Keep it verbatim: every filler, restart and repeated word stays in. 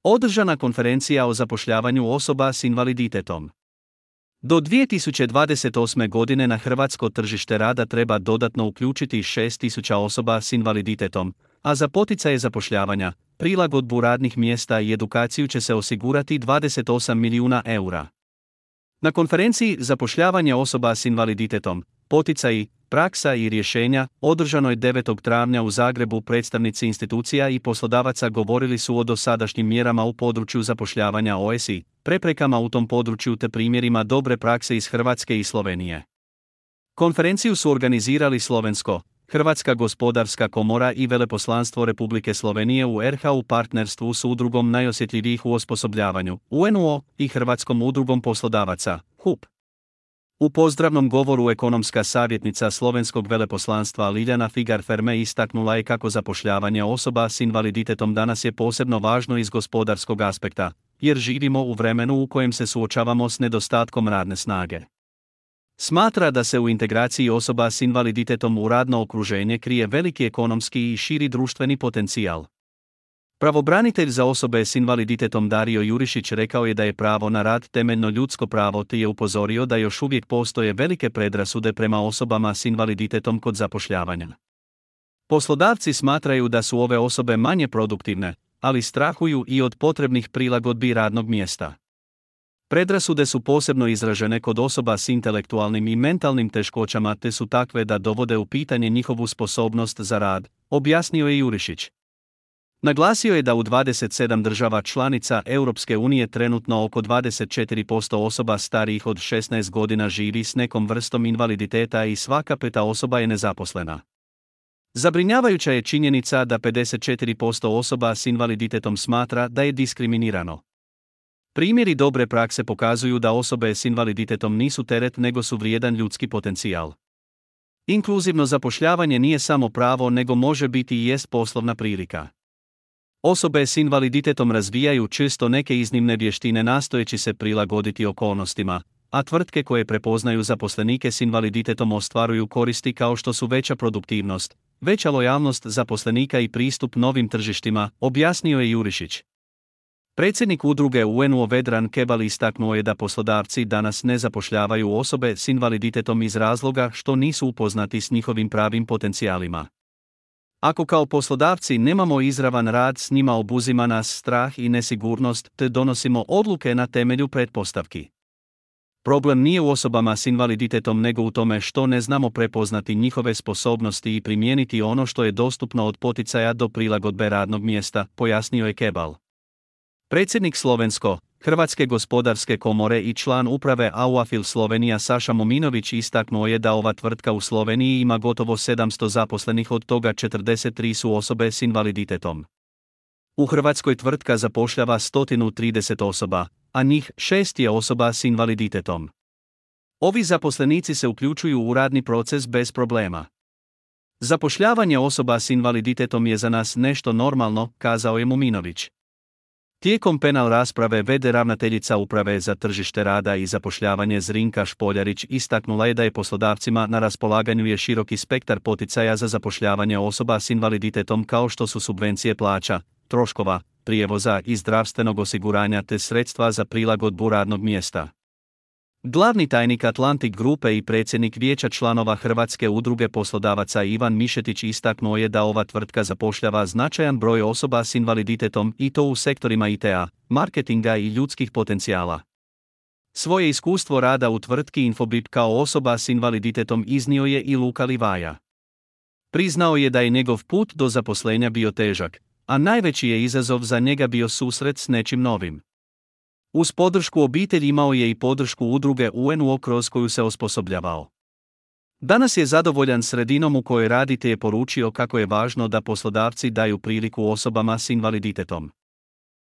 Održana konferencija o zapošljavanju osoba s invaliditetom. Do dvije tisuće dvadeset osme. godine na hrvatsko tržište rada treba dodatno uključiti šest tisuća osoba s invaliditetom, a za poticaje zapošljavanja, prilagodbu radnih mjesta i edukaciju će se osigurati dvadeset osam milijuna eura. Na konferenciji Zapošljavanje osoba s invaliditetom, poticaji, praksa i rješenja, održanoj devetog travnja u Zagrebu, predstavnici institucija i poslodavaca govorili su o dosadašnjim mjerama u području zapošljavanja O S I, preprekama u tom području te primjerima dobre prakse iz Hrvatske i Slovenije. Konferenciju su organizirali Slovensko, Hrvatska gospodarska komora i Veleposlanstvo Republike Slovenije u R H u partnerstvu s udrugom najosjetljivijih u osposobljavanju, U N O, i Hrvatskom udrugom poslodavaca, H U P. U pozdravnom govoru ekonomska savjetnica slovenskog veleposlanstva Liljana Figar-Ferme istaknula je kako zapošljavanje osoba s invaliditetom danas je posebno važno iz gospodarskog aspekta, jer živimo u vremenu u kojem se suočavamo s nedostatkom radne snage. Smatra da se u integraciji osoba s invaliditetom u radno okruženje krije veliki ekonomski i širi društveni potencijal. Pravobranitelj za osobe s invaliditetom Dario Jurišić rekao je da je pravo na rad temeljno ljudsko pravo te je upozorio da još uvijek postoje velike predrasude prema osobama s invaliditetom kod zapošljavanja. Poslodavci smatraju da su ove osobe manje produktivne, ali strahuju i od potrebnih prilagodbi radnog mjesta. Predrasude su posebno izražene kod osoba s intelektualnim i mentalnim teškoćama te su takve da dovode u pitanje njihovu sposobnost za rad, objasnio je Jurišić. Naglasio je da u dvadeset sedam država članica Europske unije trenutno oko dvadeset četiri posto osoba starijih od šesnaest godina živi s nekom vrstom invaliditeta i svaka peta osoba je nezaposlena. Zabrinjavajuća je činjenica da pedeset četiri posto osoba s invaliditetom smatra da je diskriminirano. Primjeri dobre prakse pokazuju da osobe s invaliditetom nisu teret nego su vrijedan ljudski potencijal. Inkluzivno zapošljavanje nije samo pravo nego može biti i jest poslovna prilika. Osobe s invaliditetom razvijaju često neke iznimne vještine nastojeći se prilagoditi okolnostima, a tvrtke koje prepoznaju zaposlenike s invaliditetom ostvaruju koristi kao što su veća produktivnost, veća lojalnost zaposlenika i pristup novim tržištima, objasnio je Jurišić. Predsjednik udruge U N O Vedran Kebal istaknuo je da poslodavci danas ne zapošljavaju osobe s invaliditetom iz razloga što nisu upoznati s njihovim pravim potencijalima. Ako kao poslodavci nemamo izravan rad s njima, obuzima nas strah i nesigurnost te donosimo odluke na temelju pretpostavki. Problem nije u osobama s invaliditetom nego u tome što ne znamo prepoznati njihove sposobnosti i primijeniti ono što je dostupno od poticaja do prilagodbe radnog mjesta, pojasnio je Kebal. Predsjednik Slovensko, Hrvatske gospodarske komore i član uprave Auafil Slovenija Saša Mominović istaknuo je da ova tvrtka u Sloveniji ima gotovo sedamsto zaposlenih, od toga četrdeset tri su osobe s invaliditetom. U Hrvatskoj tvrtka zapošljava sto trideset osoba, a njih šest je osoba s invaliditetom. Ovi zaposlenici se uključuju u radni proces bez problema. Zapošljavanje osoba s invaliditetom je za nas nešto normalno, kazao je Mominović. Tijekom penal rasprave v d ravnateljica Uprave za tržište rada i zapošljavanje Zrinka Špoljarić istaknula je da je poslodavcima na raspolaganju je široki spektar poticaja za zapošljavanje osoba s invaliditetom kao što su subvencije plaća, troškova, prijevoza i zdravstvenog osiguranja te sredstva za prilagodbu radnog mjesta. Glavni tajnik Atlantic Grupe i predsjednik vijeća članova Hrvatske udruge poslodavaca Ivan Mišetić istaknuo je da ova tvrtka zapošljava značajan broj osoba s invaliditetom i to u sektorima I T A, marketinga i ljudskih potencijala. Svoje iskustvo rada u tvrtki Infobip kao osoba s invaliditetom iznio je i Luka Livaja. Priznao je da je njegov put do zaposlenja bio težak, a najveći je izazov za njega bio susret s nečim novim. Uz podršku obitelji imao je i podršku udruge U N O kroz koju se osposobljavao. Danas je zadovoljan sredinom u kojoj radi te je poručio kako je važno da poslodavci daju priliku osobama s invaliditetom.